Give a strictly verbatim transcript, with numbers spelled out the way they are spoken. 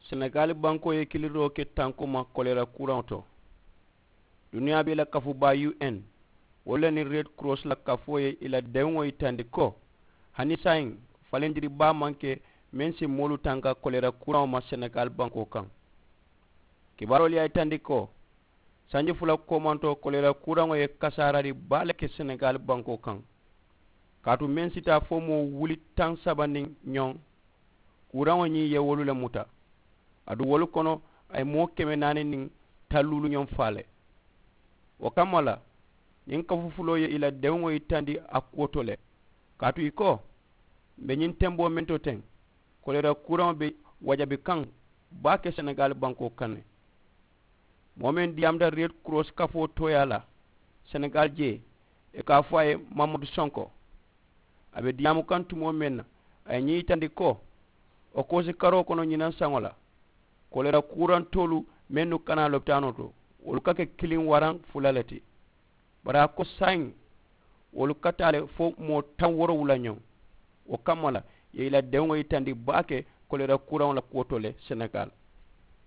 Senegaali bankoo ye kiliiroo ke tankoo ma koleera kuuraŋo to. Duniyaa bee la kafubaa u n wolu le niŋ red cross la kafoo ye i la dewuŋo yitandi ko hani saayiŋ falindiri baa maŋ ke meŋ si moolu tanka koleera kuuraŋo ma senegaali bankoo kaŋ. Kibaaroolu ye a yitandi ko sanji fula koomantoo koleera kuuraŋo ye kasaarari baa le ke senegaali bankoo kaŋ. Kaatu meŋ si taa fo moo wuli taŋ saba niŋ ñoŋ kuuraŋo ñiŋ ye wolu le muta. Aduŋ wolu kono a ye moo keme naani niŋ talluulu ñoŋ faa le. Wo kamma la ñiŋ kafufuloo ye i la dewuŋo yitandi a kuwo to le. Kaatu i ko m̀ be ñiŋ temboo meŋ to teŋ koleera kuuraŋo be wajabi kaŋ baake senegaali bankoo kaŋ ne. Moo meŋ diyaamuta red cross kafoo tooyaa la senegaali jee i ka a fo a ye mamadu sonko. A be diyaamu kaŋ tumoo meŋ na a ye ñiŋ yitandi ko wo koosi karoo kono ñinaŋ saŋo la koleera kuurantoolu mennu ka naa lopitaanoo to wolu ka ke kiliŋ waraŋ fula le ti. Bari a ko saayiŋ wolu ka taa le fo moo taŋ woorowula ñoŋ. Wo kamma la i ye i la dewuŋo yitandi baake koleera kuuraŋo la kuwo to le senegaali.